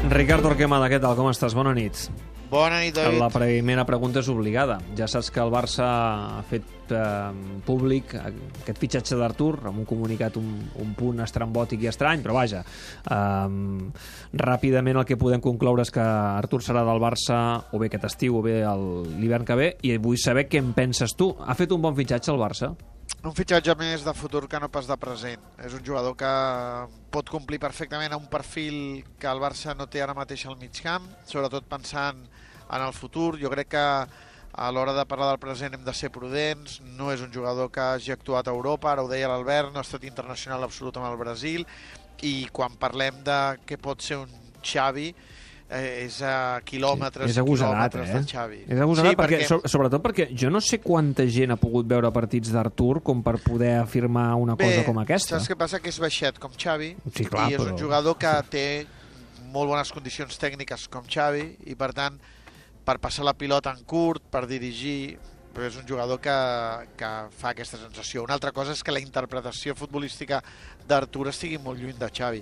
Ricard Torquemada, què tal? Com estàs? Bona nit. Bona nit, David. La primera pregunta és obligada. Ja saps que el Barça ha fet públic aquest fitxatge d'Artur amb un comunicat un punt estrambòtic i estrany, però vaja, ràpidament el que podem concloure és que Artur serà del Barça o bé aquest estiu o bé l'hivern que ve, i vull saber què en penses tu. Ha fet un bon fitxatge el Barça? Un fitxatge més de futur que no pas de present. És un jugador que pot complir perfectament a un perfil que el Barça no té ara mateix al mig camp, sobretot pensant en el futur. Jo crec que a l'hora de parlar del present hem de ser prudents. No és un jugador que hagi actuat a Europa, ara ho deia l'Albert, no ha estat internacional absolut amb el Brasil, i quan parlem de què pot ser un Xavi, és a quilòmetres, és agosarat, del Xavi. És agosarat, sí, sobretot perquè jo no sé quanta gent ha pogut veure partits d'Artur com per poder afirmar una cosa com aquesta. Saps què passa? Que és baixet com Xavi, sí, clar, i és un jugador que té molt bones condicions tècniques com Xavi, i per tant, per passar la pilota en curt, per dirigir, però és un jugador que fa aquesta sensació. Una altra cosa és que la interpretació futbolística d'Artur estigui molt lluny de Xavi,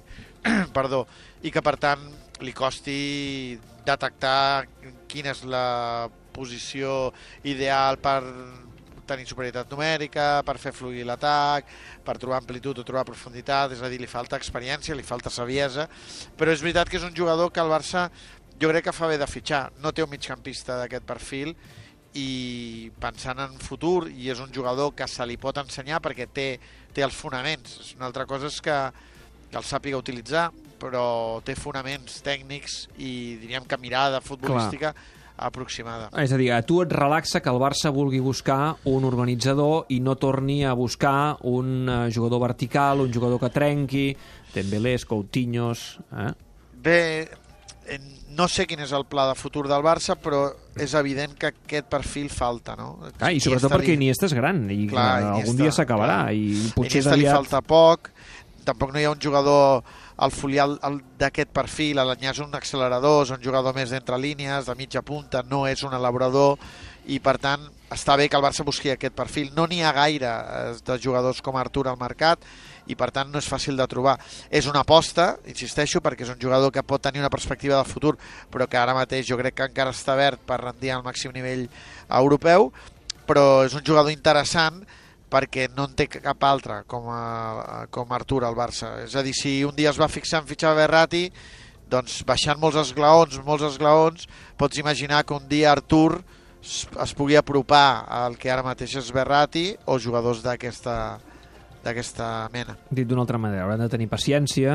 perdó, i que per tant li costi detectar quina és la posició ideal per tenir superioritat numèrica, per fer fluir l'atac, per trobar amplitud o trobar profunditat, és a dir, li falta experiència, li falta saviesa, però és veritat que és un jugador que el Barça jo crec que fa bé de fitxar. No té un migcampista d'aquest perfil, i pensant en futur, i és un jugador que se li pot ensenyar perquè té els fonaments. Una altra cosa és que el sàpiga utilitzar, però té fonaments tècnics i diríem que mirada futbolística aproximada. És a dir, a tu et relaxa que el Barça vulgui buscar un organitzador i no torni a buscar un jugador vertical, un jugador que trenqui, Dembélés, Coutinhos... Bé, no sé quin és el pla de futur del Barça, però és evident que aquest perfil falta, no? I sobretot perquè Iniesta és gran i algun dia s'acabarà. Iniesta li falta poc, tampoc no hi ha un jugador al folial d'aquest perfil. L'Anyà és un accelerador, és un jugador més d'entre línies, de mitja punta, no és un elaborador, i per tant està bé que el Barça busqui aquest perfil. No n'hi ha gaire de jugadors com Artur al mercat, i per tant no és fàcil de trobar. És una aposta, insisteixo, perquè és un jugador que pot tenir una perspectiva de futur, però que ara mateix jo crec que encara està verd per rendir al màxim nivell europeu, però és un jugador interessant perquè no en té cap altre com Artur al Barça. És a dir, si un dia es va fixar en fitxar Verratti, doncs baixant molts esglaons, pots imaginar que un dia Artur es pugui apropar al que ara mateix és Verratti o jugadors d'aquesta mena. Dit d'una altra manera, hauran de tenir paciència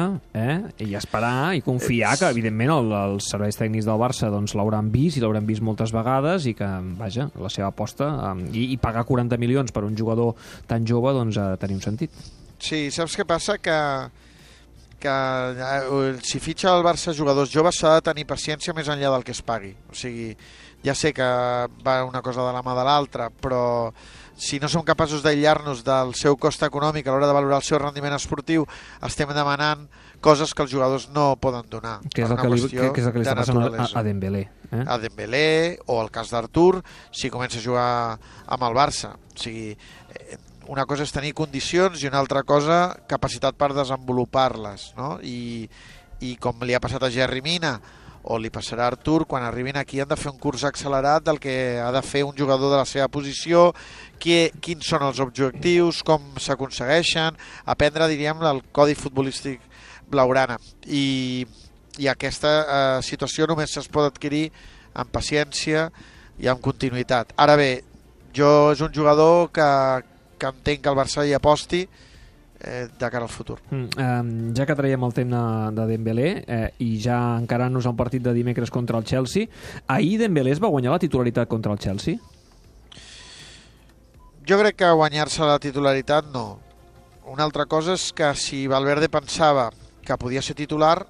i esperar i confiar que, evidentment, els serveis tècnics del Barça l'hauran vist, i l'hauran vist moltes vegades, i que, vaja, la seva aposta i pagar 40 milions per un jugador tan jove doncs ha de tenir un sentit. Sí, saps què passa? Que si fitxa el Barça jugadors joves s'ha de tenir paciència més enllà del que es pagui. O sigui, ja sé que va una cosa de la mà de l'altra, però si no som capaços d'aïllar-nos del seu cost econòmic a l'hora de valorar el seu rendiment esportiu, estem demanant coses que els jugadors no poden donar. Que és el que li està passant a Dembélé. A Dembélé, o el cas d'Artur, si comença a jugar amb el Barça. O sigui, una cosa és tenir condicions i una altra cosa capacitat per desenvolupar-les, no? I com li ha passat a Jerry Mina, o li passarà a Artur, quan arribin aquí han de fer un curs accelerat del que ha de fer un jugador de la seva posició, quins són els objectius, com s'aconsegueixen, aprendre, diríem, el codi futbolístic blaugrana. I aquesta situació només es pot adquirir amb paciència i amb continuïtat. Ara bé, és un jugador que entenc que el Barça hi aposti de cara al futur. Ja que traiem el tema de Dembélé i ja encarant-nos al partit de dimecres contra el Chelsea, ahir Dembélé es va guanyar la titularitat contra el Chelsea? Jo crec que guanyar-se la titularitat no. Una altra cosa és que si Valverde pensava que podia ser titular,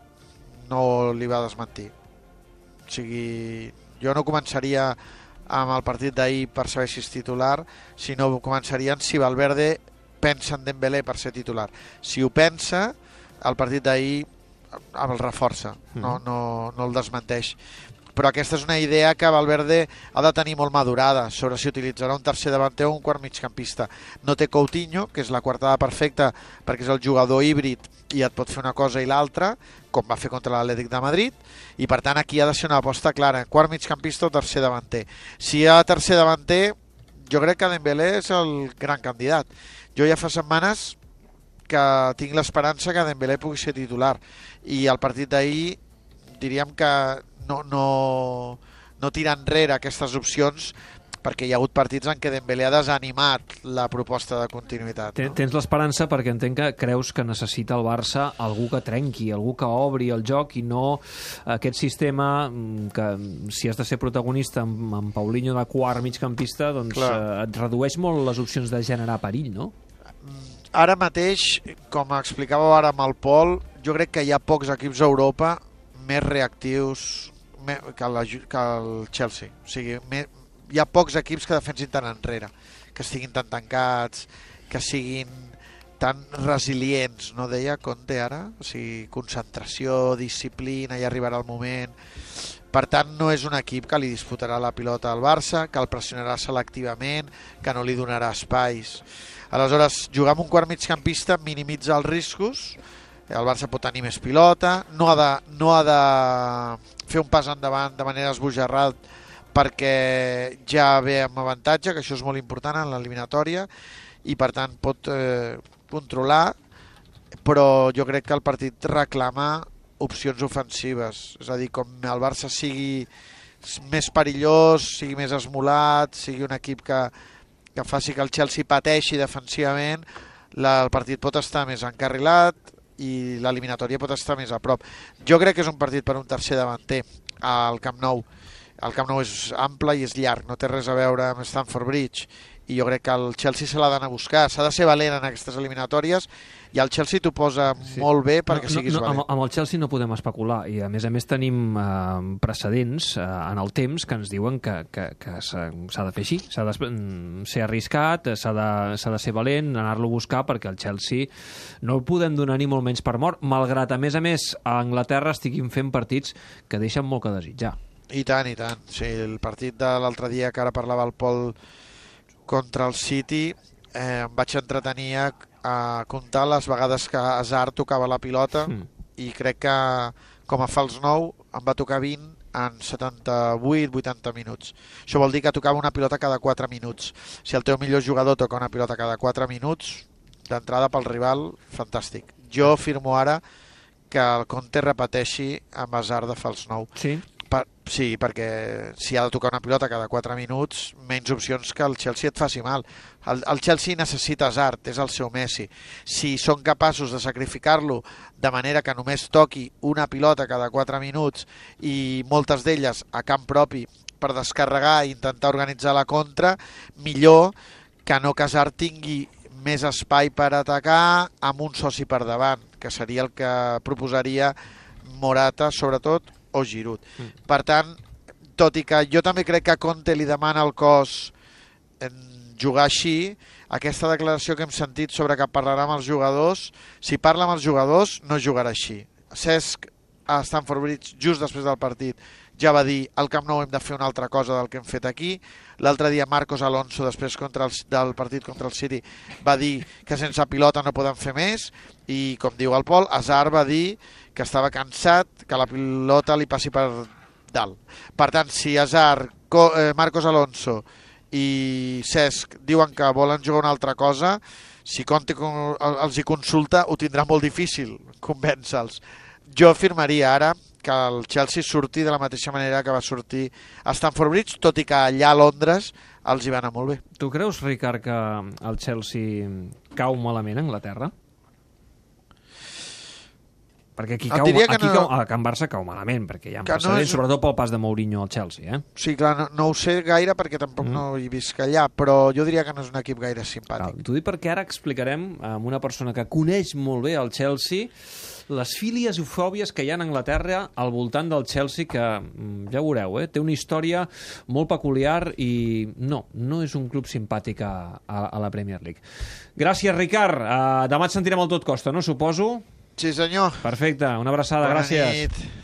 no li va desmentir. O sigui, jo no començaria amb el partit d'ahir per saber si és titular, sinó començarien si Valverde pensa en Dembélé per ser titular. Si ho pensa, el partit d'ahir el reforça, no el desmenteix. però aquesta és una idea que Valverde ha de tenir molt madurada sobre si utilitzarà un tercer davanter o un quart migcampista. No té Coutinho, que és la quartada perfecta perquè és el jugador híbrid i et pot fer una cosa i l'altra, com va fer contra l'Atlètic de Madrid, i per tant aquí ha de ser una aposta clara, quart migcampista o tercer davanter. Si hi ha tercer davanter, jo crec que Dembélé és el gran candidat. Jo ja fa setmanes que tinc l'esperança que Dembélé pugui ser titular, i el partit d'ahir diríem que no tira enrere aquestes opcions, perquè hi ha hagut partits en què Dembélé ha desanimat la proposta de continuïtat. Tens l'esperança perquè entenc que creus que necessita el Barça algú que trenqui, algú que obri el joc i no aquest sistema que si has de ser protagonista amb Paulinho de quart migcampista, doncs et redueix molt les opcions de generar perill, no? Ara mateix, com explicàveu ara amb el Pol, jo crec que hi ha pocs equips a Europa més reactius que el Chelsea. O sigui, hi ha pocs equips que defensin tant enrere, que estiguin tan tancats, que siguin tan resilients, no deia Conte ara? O sigui, concentració, disciplina, ja arribarà el moment. Per tant, no és un equip que li disputarà la pilota al Barça, que el pressionarà selectivament, que no li donarà espais. Aleshores, jugar amb un quart migcampista minimitza els riscos, el Barça pot tenir més pilota, no ha de fer un pas endavant de manera esbojarrada perquè ja ve amb avantatge, que això és molt important en l'eliminatòria, i per tant pot controlar, però jo crec que el partit reclama opcions ofensives, és a dir, com el Barça sigui més perillós, sigui més esmolat, sigui un equip que faci que el Chelsea pateixi defensivament, el partit pot estar més encarrilat i l'eliminatòria pot estar més a prop. Jo crec que és un partit per un tercer davanter al Camp Nou. El Camp Nou és ample i és llarg, no té res a veure amb Stamford Bridge, i jo crec que el Chelsea se l'ha d'anar a buscar, s'ha de ser valent en aquestes eliminatòries, i el Chelsea t'ho posa molt bé perquè siguis valent. Amb el Chelsea no podem especular, i a més tenim precedents en el temps que ens diuen que s'ha de fer així, s'ha de ser arriscat, s'ha de ser valent, anar-lo a buscar, perquè el Chelsea no el podem donar ni molt menys per mort, malgrat a més a Anglaterra estiguin fent partits que deixen molt que desitjar. I tant, i tant. Sí, el partit de l'altre dia que ara parlava el Pol contra el City, em vaig entretenir a comptar les vegades que Hazard tocava la pilota i crec que com a fals 9 em va tocar 20 en 78-80 minuts. Això vol dir que tocava una pilota cada 4 minuts. Si el teu millor jugador toca una pilota cada 4 minuts, d'entrada pel rival, fantàstic. Jo firmo ara que el Conte repeteixi amb Hazard de fals 9. Sí? Sí, perquè si ha de tocar una pilota cada 4 minuts, menys opcions que el Chelsea et faci mal. El Chelsea necessita Hazard, és el seu Messi. Si són capaços de sacrificar-lo de manera que només toqui una pilota cada 4 minuts i moltes d'elles a camp propi per descarregar i intentar organitzar la contra, millor que no que Hazard tingui més espai per atacar amb un soci per davant, que seria el que proposaria Morata, sobretot, o Giroud. Per tant, tot i que jo també crec que Conte li demana al cos jugar així, aquesta declaració que hem sentit sobre que parlarà amb els jugadors, si parla amb els jugadors no jugarà així. Cesc a Stamford Bridge just després del partit ja va dir al Camp Nou hem de fer una altra cosa del que hem fet aquí. L'altre dia Marcos Alonso després del partit contra el City va dir que sense pilota no podem fer més, i com diu el Pol, Hazard va dir que estava cansat, que la pilota li passi per dalt. Per tant, si Hazard, Marcos Alonso i Cesc diuen que volen jugar una altra cosa, si Conte els hi consulta ho tindrà molt difícil convèncer-los. Jo afirmaria ara que el Chelsea surti de la mateixa manera que va sortir a Stamford Bridge, tot i que allà a Londres els hi va anar molt bé. Tu creus, Ricard, que el Chelsea cau malament a Anglaterra? Perquè aquí a Can Barça cau malament, perquè hi ha precedents, sobretot pel pas de Mourinho al Chelsea. Sí, clar, no ho sé gaire perquè tampoc no hi visc allà, però jo diria que no és un equip gaire simpàtic. T'ho dic perquè ara explicarem amb una persona que coneix molt bé el Chelsea les fílies i fòbies que hi ha a Anglaterra al voltant del Chelsea, que ja ho veureu, té una història molt peculiar i no és un club simpàtic a la Premier League. Gràcies, Ricard. Demà et sentirem al Tot Costa, no? Suposo? Sí, senyor. Perfecte, una abraçada, gràcies. Bona nit.